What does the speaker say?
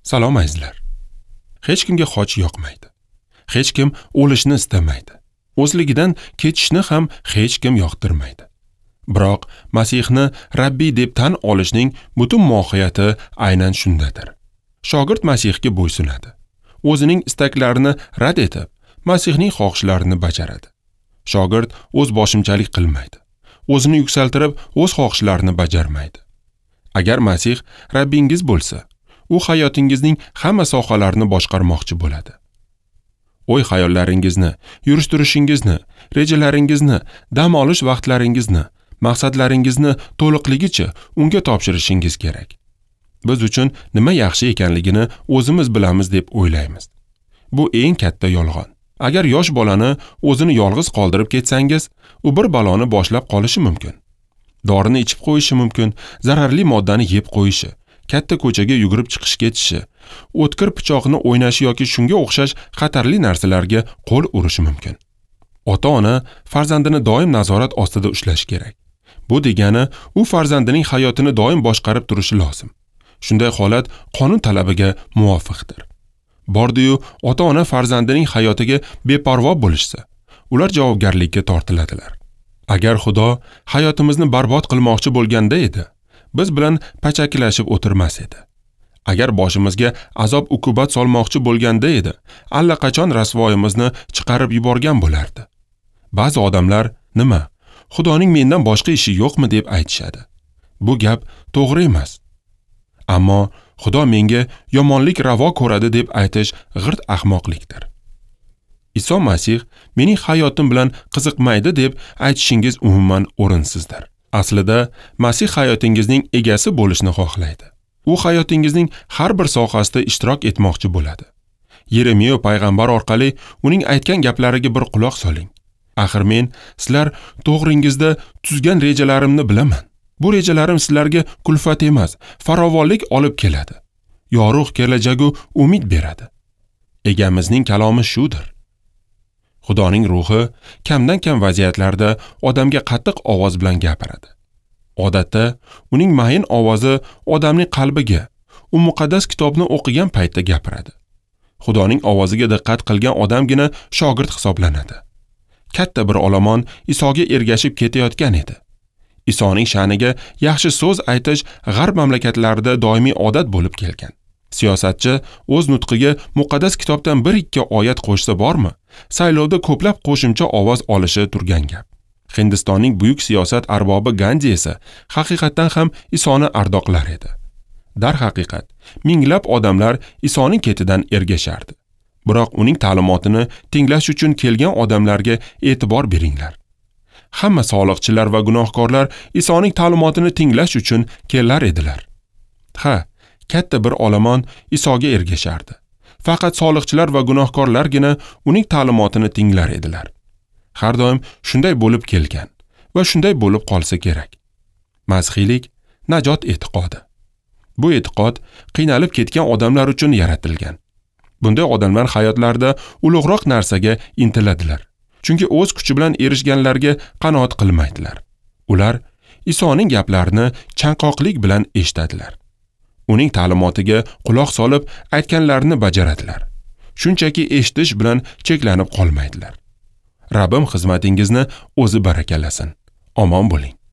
Salom azizlar. Hech kimga xoch yoqmaydi. Hech kim o'lishni istamaydi. O'zligidan ketishni ham hech kim yoqtirmaydi. Biroq Masihni Rabbiy deb tan olishning butun mohiyati aynan shundadir. Shogird Masihga bo'ysunadi. O'zining istaklarini rad etib, Masihning xohishlarini bajaradi. Shogird o'z boshimchalik qilmaydi. O'zini yuksaltirib, o'z xohishlarini bajarmaydi. Agar Masih Rabbingiz bo'lsa, u hayotingizning hamma sohalarini boshqarmoqchi bo'ladi. O'y xayollaringizni, yurish-turishingizni, rejalaringizni, dam olish vaqtlaringizni, maqsadlaringizni to'liqligicha unga topshirishingiz kerak. Biz uchun nima yaxshi ekanligini o'zimiz bilamiz deb o'ylaymiz. Bu eng katta yolg'on. Agar yosh bolani o'zini yolg'iz qoldirib ketsangiz, u bir baloni boshlab qolishi mumkin. Dorini ichib qo'yishi mumkin, zararli moddani yeb qo'yishi, katta ko'chaga yugurib chiqish ketishi, o'tkir pichoqni o'ynashi yoki shunga o'xshash xatarli narsalarga qo'l urishi mumkin. Ota-ona farzandini doim nazorat ostida ushlashi kerak. Bu degani, u farzandining hayotini doim boshqarib turishi lozim. Shunday holat qonun talabiga muvofiqdir. Bordi-yu ota-ona farzandining hayotiga beparvo bo'lishsa, ular javobgarlikka tortiladilar. Agar Xudo hayotimizni barbod qilmoqchi bo'lganda edi, biz bilan pachakilashib o'tirmas edi. Agar boshimizga azob uqubat solmoqchi bo'lganda edi, allaqachon rasvoyimizni chiqarib yuborgan bo'lardi. Ba'zi odamlar nima, Xudoning mendan boshqa ishi yo'qmi deb aytishadi. Bu gap to'g'ri emas. Ammo Xudo menga yomonlik ravo ko'radi deb aytish g'irt ahmoqlikdir. Iso Masih mening hayotim bilan qiziqmaydi deb aytishingiz umuman o'rinsizdir. Aslida Masih hayotingizning egasi bo'lishni xohlaydi. U hayotingizning har bir sohasida ishtirok etmoqchi bo'ladi. Yeremiya payg'ambar orqali uning aytgan gaplariga bir quloq soling. Axir men sizlar to'g'ringizda tuzgan rejalarimni bilaman. Bu rejalarim sizlarga kulfat emas, farovonlik olib keladi. Yorug' kelajagu umid beradi. Egamizning kalomi shudir. Xudoning ruhi kamdan-kam vaziyatlarda odamga qattiq ovoz bilan gapiradi. Odatda uning mayin ovozi odamning qalbiga, u muqaddas kitobni o'qigan paytda gapiradi. Xudoning ovoziga diqqat qilgan odamgina shogird hisoblanadi. Katta bir olomon Isoga ergashib ketayotgan edi. Isoning sha'niga yaxshi so'z aytish g'arb mamlakatlarida doimiy odat bo'lib kelgan. Siyosatchi o'z nutqiga muqaddas kitobdan 1-2 oyat qo'shsa bormi, saylovda ko'plab qo'shimcha ovoz olishi turgan gap. Hindistonning buyuk siyosat arbobi Gandhi esa haqiqatdan ham Isoni ardoqlar edi. Darhaqiqat, minglab odamlar Isoning ketidan ergashardi. Biroq uning ta'limotini tinglash uchun kelgan odamlarga e'tibor beringlar. Hamma soliqchilar va gunohkorlar Isoning ta'limotini tinglash uchun kelar edilar. Ha, katta bir olomon Isoga ergashardi. Faqat soliqchilar va gunohkorlargina uning ta'limotini tinglar edilar. Har doim shunday bo'lib kelgan va shunday bo'lib qolsa kerak. Masihiylik najot e'tiqodi. Bu e'tiqod qiynalib ketgan odamlar uchun yaratilgan. Bunday odamlar hayotlarida ulug'roq narsaga intiladilar. Chunki o'z kuchi bilan erishganlarga qanoat qilmaydilar. Ular Isoning gaplarini chanqoqlik bilan eshitadilar. Uning ta'limotiga quloq solib, aytganlarini bajaradilar. Shunchaki eshitish bilan cheklanib qolmaydilar. Rabbim xizmatingizni o'zi barakalasin. Omon bo'ling.